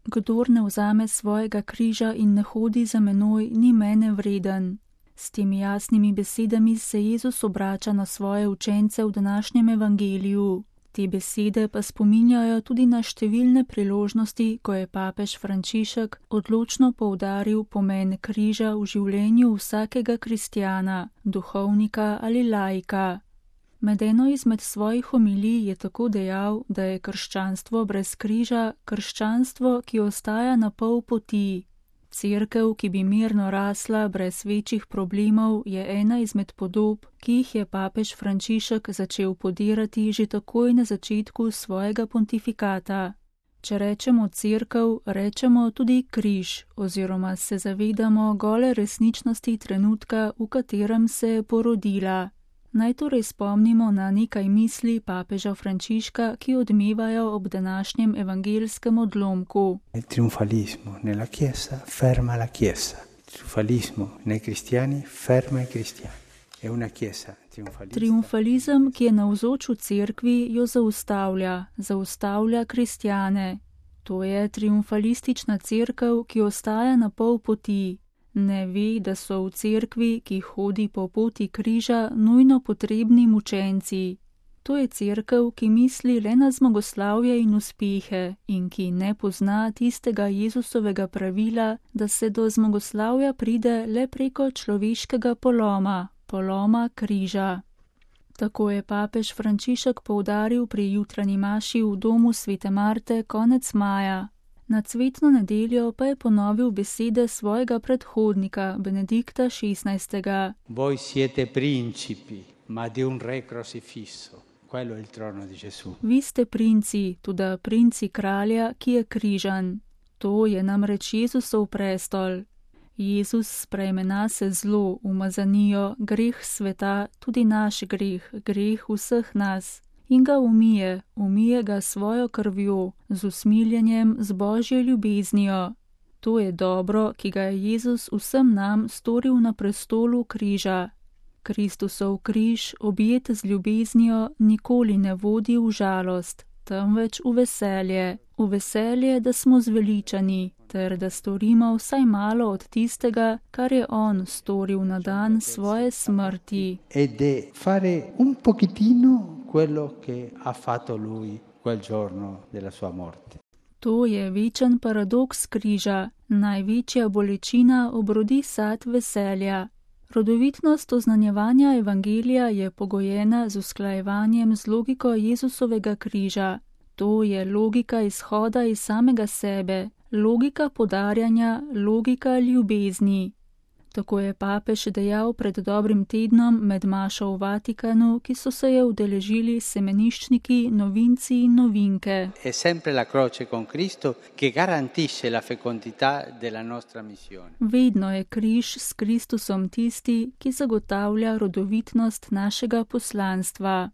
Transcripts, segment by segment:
kdor ne vzame svojega križa in ne hodi za menoj, ni mene vreden. S temi jasnimi besedami se Jezus obrača na svoje učence v današnjem evangeliju. Te besede pa spominjajo tudi na številne priložnosti, ko je papež Frančišek odločno poudaril pomen križa v življenju vsakega kristjana, duhovnika ali laika. Med eno izmed svojih homilij je tako dejal, da je krščanstvo brez križa krščanstvo, ki ostaja na pol poti. Cerkev, ki bi mirno rasla brez večjih problemov, je ena izmed podob, ki jih je papež Frančišek začel podirati že takoj na začetku svojega pontifikata. Če rečemo cerkev, rečemo tudi križ, oziroma se zavedamo gole resničnosti trenutka, v katerem se je porodila. Naj torej spomnimo na nekaj misli papeža Frančiška, ki odmevajo ob današnjem evangelskem odlomku. Il trionfalismo nella Chiesa ferma la Chiesa. Il trionfalismo nei cristiani ferma i cristiani. È una Chiesa trionfalista. Triumfalizem, ki je navzoč v cerkvi, jo zaustavlja kristjane. To je triumfalistična cerkev, ki ostaja na pol poti. Ne ve, da so v cerkvi, ki hodi po poti križa, nujno potrebni mučenci. To je cerkev, ki misli le na zmagoslavje in uspehe in ki ne pozna tistega Jezusovega pravila, da se do zmagoslavja pride le preko človeškega poloma križa. Tako je papež Frančišek poudaril pri jutranji maši v domu svete Marte konec maja. Na cvetno nedeljo pa je ponovil besede svojega predhodnika, Benedikta XVI. Voi siete principi, ma di un re crocifisso. Quello è il trono di Gesù. Vi ste princi, tudi princi kralja, ki je križan. To je namreč Jezusov prestol. Jezus sprejme nase zlo, umazanijo, greh sveta, tudi naš greh vseh nas. In ga umije ga svojo krvjo, z usmiljenjem, z Božjo ljubeznijo. To je dobro, ki ga je Jezus vsem nam storil na prestolu križa. Kristusov križ, objet z ljubeznijo, nikoli ne vodi v žalost, temveč v veselje, da smo zveličani, ter da storimo vsaj malo od tistega, kar je on storil na dan svoje smrti. Ed è fare un pochettino quello che ha fatto lui quel giorno della sua morte. To je večen paradoks križa, največja bolečina obrodi sad veselja. Rodovitnost oznanjevanja evangelija je pogojena z usklajevanjem z logiko Jezusovega križa. To je logika izhoda iz samega sebe, logika podarjanja, logika ljubezni. Tako je papež dejal pred dobrim tednom med mašo v Vatikanu, ki so se je udeležili semeniščniki, novinci in novinke. È sempre la croce con Cristo che garantisce la fecondità della nostra missione. Vedno je križ s Kristusom tisti, ki zagotavlja rodovitnost našega poslanstva.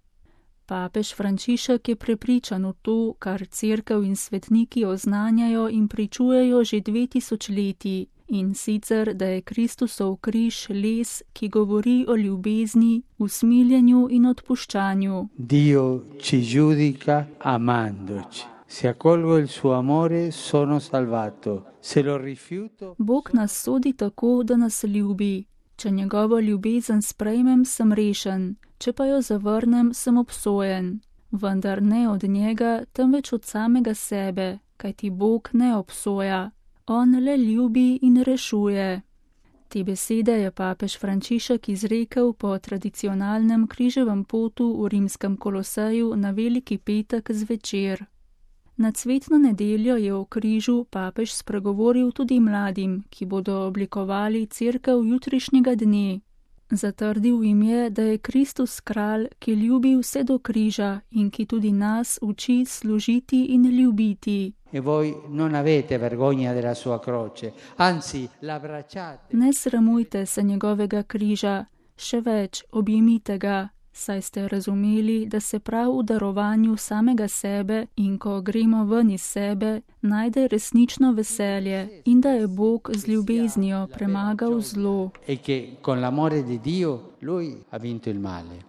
Papež Frančišek je prepričan v to, kar cerkev in svetniki oznanjajo in pričujejo že 2000 leti. In sicer, da je Kristusov križ les, ki govori o ljubezni, usmiljenju in odpuščanju. Dio ci giudica amandoci. Se accolgo il suo amore, sono salvato. Se lo rifiuto... Bog nas sodi tako, da nas ljubi. Če njegovo ljubezen sprejmem, sem rešen. Če pa jo zavrnem, sem obsojen. Vendar ne od njega, temveč od samega sebe, kajti Bog ne obsoja. On le ljubi in rešuje. Te besede je papež Frančišek izrekel po tradicionalnem križevem potu v rimskem Koloseju na Veliki petek zvečer. Na cvetno nedeljo je o križu papež spregovoril tudi mladim, ki bodo oblikovali cerkev jutrišnjega dne. Zatrdil jim je, da je Kristus kralj, ki ljubi vse do križa in ki tudi nas uči služiti in ljubiti. E voi non avete vergogna della sua croce, anzi l'abbracciate. Ne sramujte se njegovega križa, še več, objemite ga, saj ste razumeli, da se prav v darovanju samega sebe in ko gremo ven iz sebe, najde resnično veselje in da je Bog z ljubeznijo premagal zlo. E che con l'amore di Dio lui ha vinto il male.